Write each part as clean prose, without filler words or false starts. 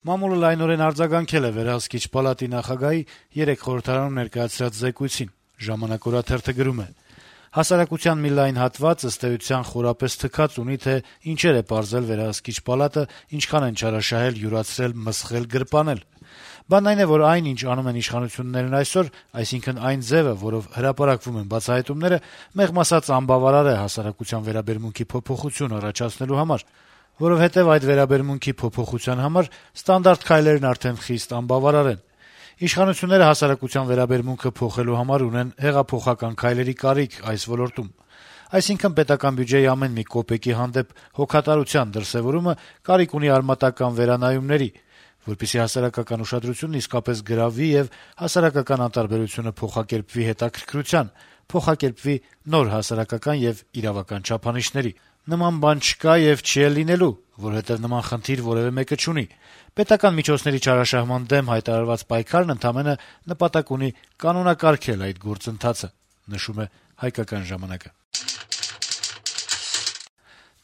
Մամուլը լայնորեն արձագանքել է վերահսկիչ պալատի նախագահի երեկ խորհրդարանում ներկայացրած զեկույցին: «Ժամանակ» օրաթերթը գրում է. - «Հասարակության մի լայն հատված, ըստ էության, խորապես թքած ունի, թե ինչեր է պարզել վերահսկիչ պալատը, ինչքան են չարաշահել, յուրացրել, մսխել, գրպանել: Բանն այն է, որ այն, ինչ անում են իշխանություններն այսօր, այսինքն այն ձեւը, որով հրապարակվում են բացահայտումները, մեղմ ասած անբավարար է հասարակության վերաբերմունքի փոփոխություն առաջացնելու համար, որովհետեւ այդ վերաբերմունքի փոփոխության համար ստանդարտ քայլերն արդեն խիստ անբավարար են: Իշխանությունները հասարակության վերաբերմունքը փոխելու համար ունեն հեղափոխական քայլերի կարիք այս ոլորտում: Այսինքն` պետական բյուջեի ամեն մի կոպեկի հանդեպ հոգատարության դրսեւորումը կարիք ունի արմատական վերանայումների, որպեսզի հասարակական ուշադրությունն իսկապես գրավվի եւ հասարակական անտարբերությունը փոխակերպվի հետաքրքրության, փոխակերպվի նոր հասարակական եւ իրավական չափանիշների: Նման բան չկա եւ չի էլ լինելու, որովհետեւ նման խնդիր որեւէ մեկը չունի: Պետական միջոցների չարաշահման դեմ հայտարարված պայքարն ընդամենը նպատակ ունի կանոնակարգել այդ գործընթացը»: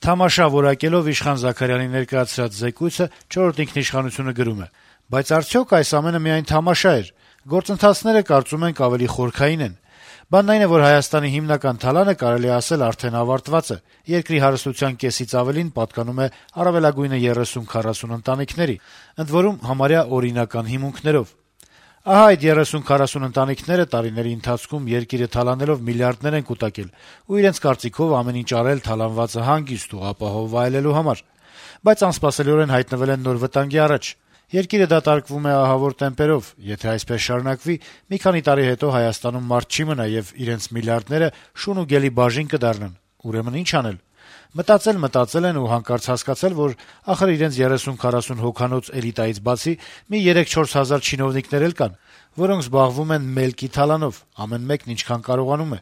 Թամաշա որակելով Իշխան Զաքարյանի ներկայացրած զեկույցը «Չորրորդ ինքնիշխանություն»-ը գրում է. - «Բայց արդյոք այս ամենը միայն թամաշա էր: Գործընթացները, կարծում ենք, ավելի խորքային են: Բանն այն է, որ Հայաստանի հիմնական թալանը, կարելի է ասել, արդեն ավարտված է: Երկրի հարստության կեսից ավելին պատկանում է առավելագույնը 30-40 ընտանիքների, ընդ որում համարյա օրինական հիմունքներով: Ահա այդ 30-40 ընտանիքները տարիների ընթացքում երկիրը թալանելով միլիարդներ են կուտակել ու իրենց կարծիքով ամեն ինչ արել թալանվածը հանգիստ ու ապահով վայելելու համար: Բայց անսպասելիորեն հայտնվել են նոր վտանգի առաջ: Երկիրը դատարկվում է ահավոր տեմպերով: Եթե այսպես շարունակվի, մի քանի տարի հետո Հայաստանում մարդ չի մնա, եւ իրենց միլիարդները շուն ու գելի բաժին կդառնան: Ուրեմն ի՞նչ անել: Մտածել են ու հանկարծ հասկացել, որ ախր իրենց 30-40 հոգանոց էլիտայից բացի մի 3-4 հազար չինովնիկներ էլ կան, որոնք զբաղվում են «մելքի թալանով», ամեն մեկն ինչքան կարողանում է: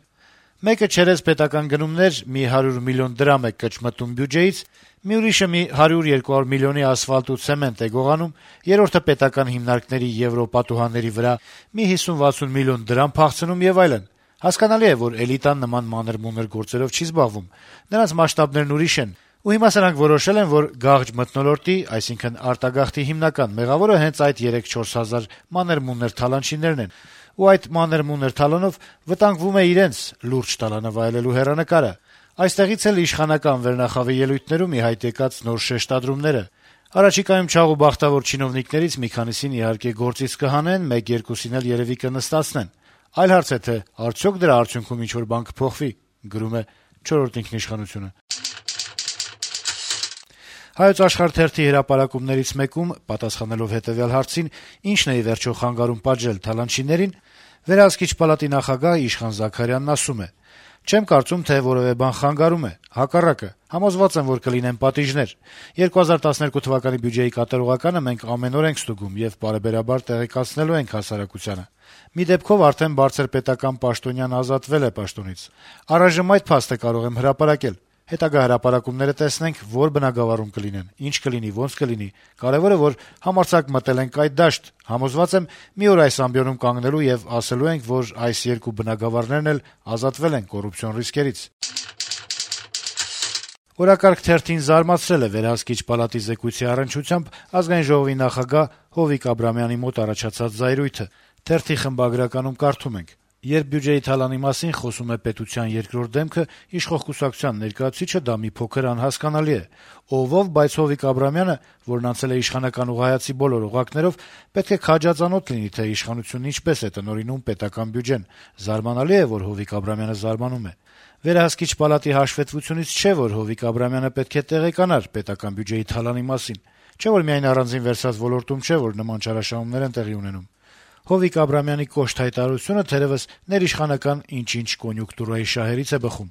Մեկը չերեզ պետական գնումներ մի 100 միլիոն դրամ է կճմտում բյուջեից, մի ուրիշը մի 100-200 միլիոնի ասֆալտ ու ցեմենտ է գողանում, երրորդը պետական հիմնարկների եվրոպատուհանների վրա մի 50-60 միլիոն դրամ փախցնում եւ այլն: Հասկանալի է, որ էլիտան նման մանր-մունր գործերով չի զբաղվում, նրանց մասշտաբներն ուրիշ են, ու հիմա սրանք որոշել են, որ գաղջ մթնոլորտի, այսինքն արտագաղթի հիմնական մեղավորը հենց այդ 3-4 հազար մանր-մունր թալանչիներն են, ու այդ մանր-մունր թալանով վտանգվում է իրենց` լուրջ տալանը վայելելու հեռանկարը: Այստեղից էլ իշխանական վերնախավի ելույթներում ի հայտ եկած նոր շեշտադրումները: Առաջիկայում չաղ ու բախտավոր չինովնիկներից մի քանիսին իհարկե գործից կհանեն, 1-2-ին էլ երեւի կնստացնեն: Այլ հարց է, թե արդյոք դրա արդյունքում ինչ-որ բան կփոխվի»: «Հայոց Աշխարհ» թերթի հրապարակումներից մեկում, պատասխանելով հետեւյալ հարցին` ինչն է ի վերջո խանգարում պատժել թալանչիներին, վերահսկիչ պալատի նախագահ Իշխան Զաքարյանն ասում է. - «Չեմ կարծում, թե որեւէ բան խանգարում է: Հակառակը, համոզված եմ, որ կլինեն պատիժներ: 2012 թվականի բյուջեի կատարողականը մենք ամեն օր ենք ստուգում եւ պարբերաբար տեղեկացնելու ենք հասարակությանը: Մի դեպքով արդեն բարձր պետական պաշտոնյան ազատվել է պաշտոնից: Առայժմ այդ փաստը կարող եմ հրապարակել: Հետագա հրապարակումները տեսնենք` որ բնագավառում կլինեն, ինչ կլինի, ոնց կլինի: Կարեւորը, որ համարձակ մտել ենք այդ դաշտ: Համոզված եմ, մի օր այս ամբիոնում կանգնելու եւ ասելու ենք, որ այս երկու բնագավառներն էլ ազատվել են կոռուպցիոն ռիսկերից»: «Օրակարգ» թերթին զարմացրել է վերահսկիչ պալատի զեկույցի առնչությամբ Ազգային ժողովի նախագահ Հովիկ Աբրահամյանի մոտ առաջացած զայրույթը: Թերթի խմբագրականում կարդում ենք. - «Երբ բյուջեի թալանի մասին խոսում է պետության երկրորդ դեմքը, իշխող կուսակցության ներկայացուցիչը, դա մի փոքր անհասկանալի է: Ով, բայց Հովիկ Աբրահամյանը, որն անցել է իշխանական ուղղահայացի բոլոր օղակներով, պետք է քաջածանոթ լինի, թե իշխանությունն ինչպես է տնօրինում պետական բյուջեն: Զարմանալի է, որ Հովիկ Աբրահամյանը զարմանում է: Վերահսկիչ պալատի հաշվետվությունից չէ, որ Հովիկ Աբրահամյանը պետք է տեղեկանար պետական բյուջեի թալանի մասին: Չէ՞ որ միայն առանձին վերցված ոլորտում չէ, որ նման չարաշահումներ են տեղի ունենում: Հովիկ Աբրահամյանի կոշտ հայտարարությունը թերեւս ներիշխանական ինչ-ինչ կոնյունկտուրայի շահերից է բխում»: